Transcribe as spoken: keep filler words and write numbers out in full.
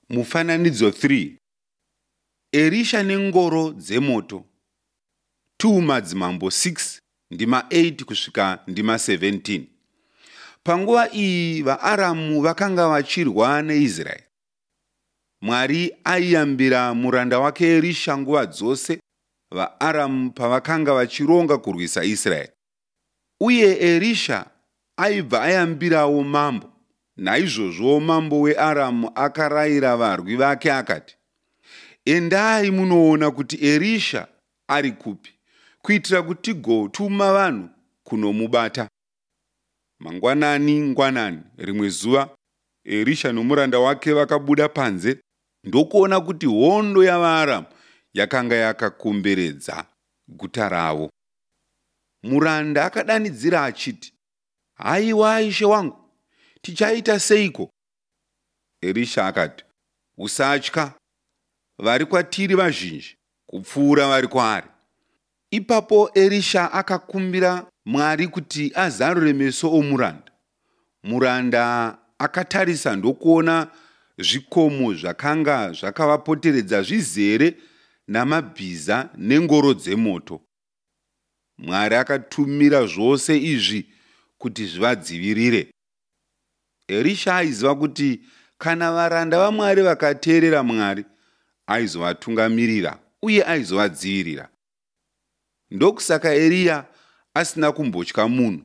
Mufananidzo three. Erisha nengoro dzemoto. two Madzimambo six ndima eight kusvika ndima seventeen. Panguva iyi vaAramu vakanga vachirwa neIsraeri. Mwari aiyambira muranda wake Erisha nguva dzose vaAramu pavakanga vachironga kurwisa Israeri. Uye Erisha aibva ayambirawo mambo. Naizvozvo mambo weAramu akarayira varwi vake akati, Endai munoona kuti Erisha ari kupi, kuitira kuti tigotuma vanhu kunomubata. Mangwanani ngwanani rimwe zuva, Erisha nomuranda wake vakabuda panze ndokuona kuti hondo yavaAramu yakanga yakakomberedza guta ravo. Muranda akadanidzira achiti, Haiwa, ishe wangu, tichaita seiko? Erisha akati, Usatya, vari kwatiri vazhinji kupfuura vari kwaari. Ipapo Erisha akakumbira Mwari kuti azarure meso omuranda. Muranda akatarisa ndokuona zvikomo zvakanga zvakavapoteredza zvizere namabhiza nengoro dzemoto. Mwari akatumira zvose izvi kuti zvivadzivirire. Erisha aiziva kuti kana varanda vaMwari vakateerera Mwari, aizovatungamirira uye aizovadzivirira. Ndokusaka Eriya asina kumbotya munhu.